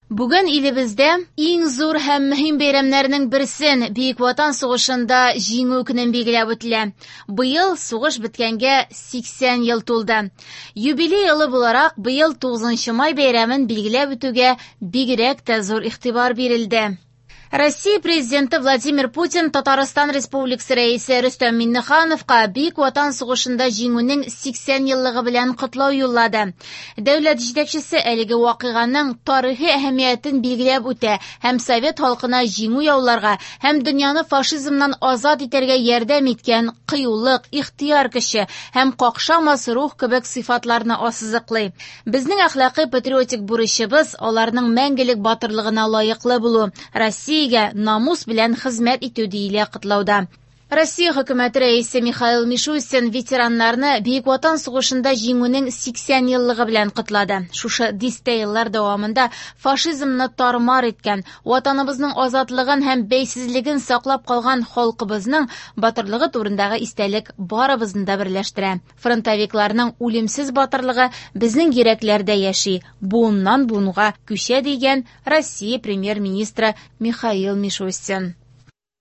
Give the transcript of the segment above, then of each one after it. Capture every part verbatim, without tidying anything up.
Бүген илебездә иң зур һәм мөһим бәйрәмнәрнең берсен Бөек Ватан сугышында Җиңү көнен билгеләп үтелә. Быел сугыш беткәнгә сиксән ел тулды. Юбилей елы буларак быел тугызынчы май бәйрәмен билгеләп үтүгә бигрәк тә зур игътибар бирелде. Россия президенты Владимир Путин Татарстан Республикасы рәисе Рөстәм Миңнехановка Бөек Ватан сугышында Җиңүнең сиксән еллыгы белән котлау юллады. Дәүләт җитәкчесе әлеге вакыйганың тарихи әһәмиятен билгеләп үтә һәм совет халкына җиңү яуларга һәм дөньяны фашизмнан азат итәргә ярдәм иткән кыюлык, ихтыяр көче һәм какшамас рух кебек сыйфатларны ассызыклый. Безнең әхлакый патриотик бурычыбыз аларның мәңгелек батырлыгына лаеклы булу, Россия намус белән хезмәт итү диелә котлауда. Россия хөкүмәте рәисе Михаил Мишустин ветераннарны Бөек Ватан сугышында Җиңүнең сиксән еллыгы белән котлады. Шушы дистә еллар дәвамында фашизмны тармар иткән, ватаныбызның азатлыгын һәм бәйсезлеген саклап калган халкыбызның батырлыгы турындагы истәлек барыбызны да берләштерә. Фронтовикларның үлемсез батырлыгы безнең йөрәкләрдә яши, буыннан буынга күчә дигән Россия премьер-министры Михаил Мишустин.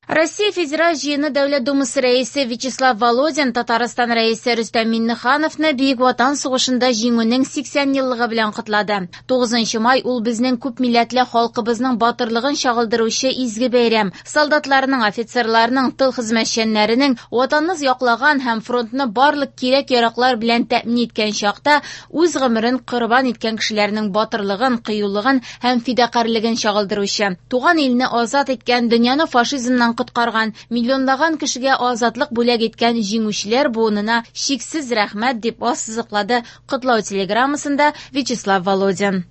Россия Федераль Җыены Дәүләт Думасы рәисе Вячеслав Володин Татарстан рәисе Рөстәм Миңнехановны Бөек Ватан сугышында Җиңүнең сиксән еллыгы белән котлады. тугызынчы май ул безнең күп милләтле халкыбызның батырлыгын чагылдыручы изге бәйрәм. Солдатларның, офицерларның, тыл хезмәтчәннәренең ватанны яклаган һәм фронтны барлык кирәк-яраклар белән тәэмин иткән чакта үз гомерен корбан иткән кешеләрнең батырлыгын, кыюлыгын һәм фидакарьлеген чагылдыручы, туган илне азат иткән, дөньяны фашизмнан коткарган, миллионлаган кешегә азатлык бүләк иткән җиңүчеләр буынына чиксез рәхмәт дип ассызыклады котлау телеграммасында Вячеслав Володин.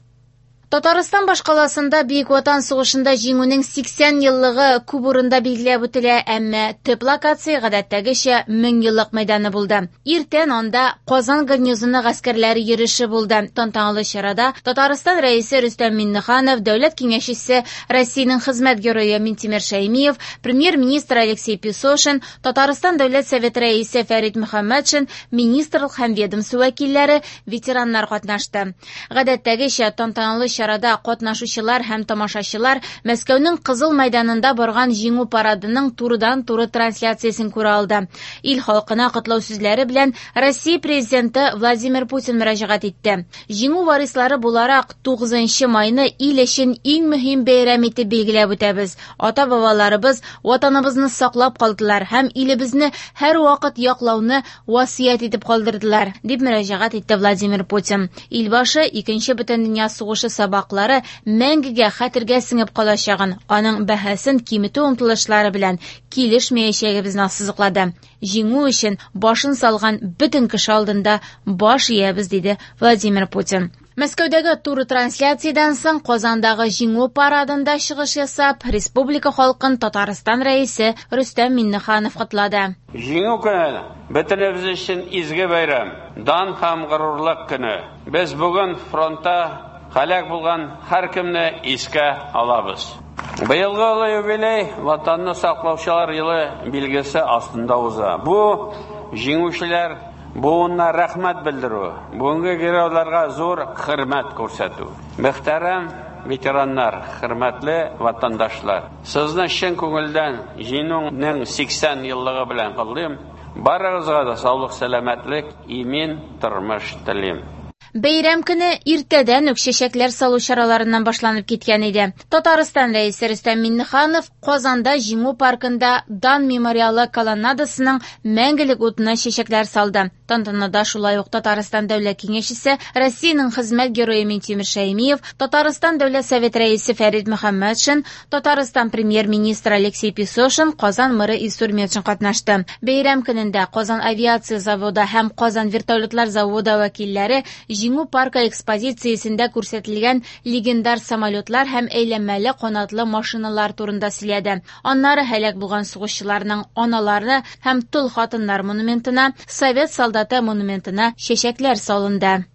Татарстан башкаласында Бөек Ватан сугышында Җиңүнең сиксән еллыгы күп урында билгеләп үтелә, әмма төп локация гадәттәгечә мең еллык мәйданы булды. Иртән анда Казан гарнизоны гаскәрләре йөреше булды. Тантаналы чарада Татарстан рәисе Рөстәм Миңнеханов, дәүләт киңәшчесе Россиянең хезмәт герое Минтимер Шәймиев, премьер-министр Алексей Песошин, Татарстан Дәүләт Советы рәисе Фәрит Мөхәммәтшин, министрлык һәм ведомство вәкилләре, ветераннар катнашты. Гадәттәгечә тантаналы чарада катнашучылар һәм тамашачылар Мәскәүнең Кызыл мәйданында барган Җиңү парадының турыдан-туры трансляциясен күрә алды. Ил халкына котлау сүзләре белән Россия президенты Владимир Путин мөрәҗәгать итте. Җиңү варислары буларак тугызынчы майны ил өчен иң мөһим бәйрәм итеп билгеләп үтәбез. Ата-бабаларыбыз ватаныбызны саклап калдылар һәм илебезне һәрвакыт яклауны васыять итеп калдырдылар, дип мөрәҗәгать итте Владимир Путин. Илбашы Икенче бөтендөнья сугышы сабаклары мәңгегә хәтергә сеңеп калачагын, аның бәһасен киметү омтылышлары белән килешмәячәгебезне ассызыклады. Җиңү өчен башын салган бөтен кеше алдында баш иябез, диде Владимир Путин. Мәскәүдәге туры трансляциядән соң Казандагы Җиңү парадында чыгыш ясап, республика халкын Татарстан рәисе Рөстәм Миңнеханов котлады. Җиңү көне бөтенебез өчен изге бәйрәм, дан һәм горурлык көне. Без бүген фронтта һәлак булган һәркемне искә алабыз. Быелгы олы юбилей Ватанны саклаучылар елы билгесе астында уза. Бу җиңүчеләр буынына рәхмәт белдерү, бүгенге геройларга зур хөрмәт күрсәтү. Мөхтәрәм ветераннар, хөрмәтле ватандашлар, сезне чын күңелдән Җиңүнең сиксән еллыгы белән котлыйм. Барыгызга да саулык, сәламәтлек, имин тормыш телим. Бәйрәм көне иртәдән үк чәчәкләр салу чараларыннан башланып киткән иде. Татарстан рәисе Рөстәм Миңнеханов Казанда Җиңү паркында Дан мемориалы колоннадасының мәңгелек утына чәчәкләр салды. Тантанада шулай ук Татарстан Дәүләт Киңәшчесе, Россиянең хезмәт герое Минтимер Шәймиев, Татарстан Дәүләт Советы рәисе Фәрит Мөхәммәтшин, Татарстан премьер-министры Алексей Песошин, Казан мэры Илсур Метшин катнашты. Бәйрәм көнендә Казан авиация заводы һәм Казан вертолетлар заводы вәкилләре Җиңү паркы экспозициясендә күрсәтелгән легендар самолетлар һәм әйләнмәле канатлы машиналар турында сөйләде. Аннары һәлак булган сугышчыларның аналары һәм тол хатыннар монументына, Совет солдаты монументына чәчәкләр салынды.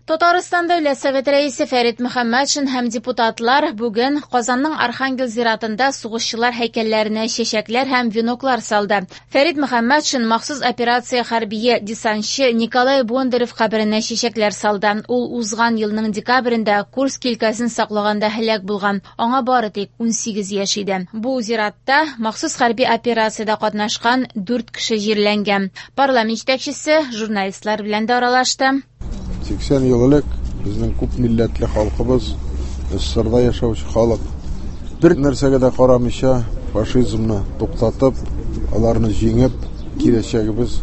Татарстан Дәүләт Советы рәисе Фәрит Мөхәммәтшин һәм депутатлар бүген Казанның Архангел зиратында сугышчылар һәйкәлләренә чәчәкләр һәм веноклар салды. Фәрит Мөхәммәтшин махсус операция хәрбие десантчы Николай Бондарев каберенә чәчәкләр салды. Ул узган елның декабрендә Курск өлкәсен саклаганда һәлак булган. Аңа бары тик унсигез яшь иде. Бу зиратта махсус хәрби операциядә катнашкан дүрт кеше җирләнгән. Парламент җитәкчесе журналистлар белән дә аралашты. Сиксән ел элек безнең күп милләтле халкыбыз, СССРда яшәүче халык, бер нәрсәгә дә карамыйча фашизмны туктатып, аларны җиңеп, киләчәгебез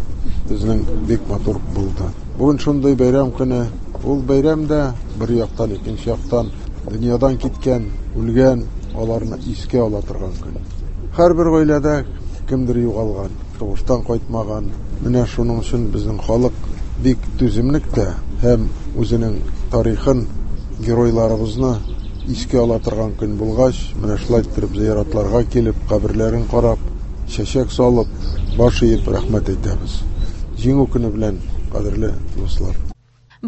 безнең бик матур булды. Бүген шундый бәйрәм көне, ул бәйрәм дә бер яктан, икенче яктан дөньядан киткән, үлгән, аларны искә ала торган көн. Һәрбер гаиләдә кемдер югалган, сугыштан кайтмаган. Менә шуның өчен безнең халык бик түземлек тә һәм үзенең тарихын, геройларыбызны искә ала торган көн булгач, менә шулай иттереп зыяратларга килеп, каберләрен карап, чәчәк салып, баш иеп рәхмәт әйтәбез. Җиңү көне белән, кадерле дуслар.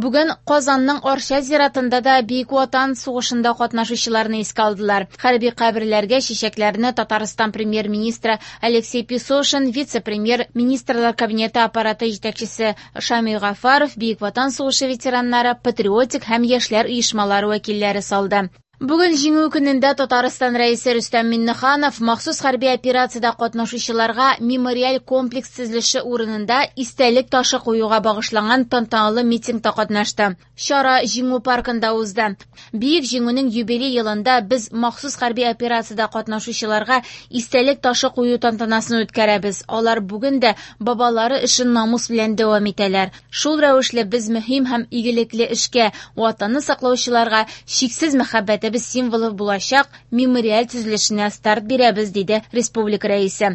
Бүген Казанның Арча зиратында да Бөек Ватан сугышында катнашучыларны искә алдылар. Хәрби каберләргә чәчәкләрне Татарстан премьер-министры Алексей Песошин, вице-премьер, министрлар кабинеты аппараты җитәкчесе Шамил Гафаров, Бөек Ватан сугышы ветераннары, патриотик һәм яшьләр оешмалары вәкилләре салды. Бүген Җиңү көнендә Татарстан рәисе Рөстәм Миңнеханов махсус хәрби операциядә катнашучыларга мемориаль комплекс төзелеше урынында истәлек ташы куюга багышланган тантаналы митингта катнашты. Чара Җиңү паркында узды. Бөек Җиңүнең юбилей елында без махсус хәрби операциядә катнашучыларга истәлек ташы кую тантанасын үткәрәбез. Алар бүген дә бабалары эшен намус белән дәвам итәләр. Шул рәвешле без мөһим һәм игелекле эшкә, Ватанны саклаучыларга чиксез мәхәббәт без символы булачак мемориаль төзелешенә старт бирәбез, диде республика рәисе.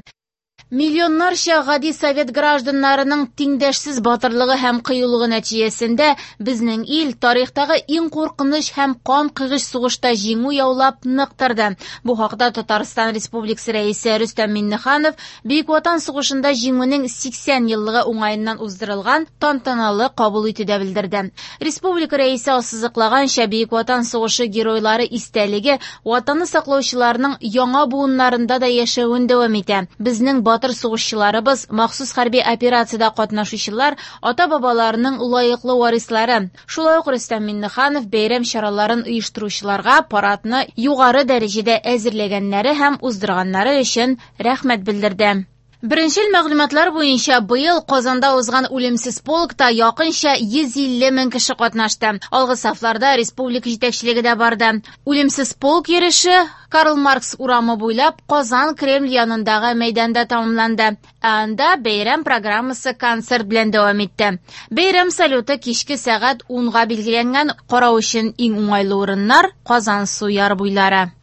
Миллионнарча гади совет гражданнарының тиңдәшсез батырлыгы һәм кыюлыгы нәтиҗәсендә безнең ил тарихтагы иң куркыныч һәм кан кыйгыч сугышта җиңү яулап нык торды. Бу хакта Татарстан Республикасы рәисе Рөстәм Миңнеханов Бөек Ватан сугышында җиңүнең сиксән еллыгы уңаеннан уздырылган тантаналы кабул итүдә белдерде. Республика рәисе ассызыклаганча, Бөек Ватан сугышы геройлары истәлеге Ватанны саклаучыларның яңа буыннарында да яшәвен дәвам итә. Безнең батыр сугышчыларыбыз, махсус хәрби операциядә катнашучылар, ата-бабаларының лаеклы варислары. Шулай ук Рөстәм Миңнеханов бәйрәм чараларын оештыручыларга парадны югары дәрәҗәдә әзерләгәннәре һәм уздырганнары өчен рәхмәт белдерде. Беренчел мәгълүматлар буенча быел Казанда узган үлемсез полкта якынча йөз илле мең кеше катнашты. Алгы сафларда республика җитәкчелеге дә барды. Үлемсез полк йөреше Карл Маркс урамы буйлап Казан Кремль янындагы мәйданда тәмамланды. Ә анда бәйрәм программасы концерт белән дәвам итте. Бәйрәм салюты кичке сәгать унга билгеләнгән. Карау өчен иң уңайлы урыннар Казан су яры буйлары.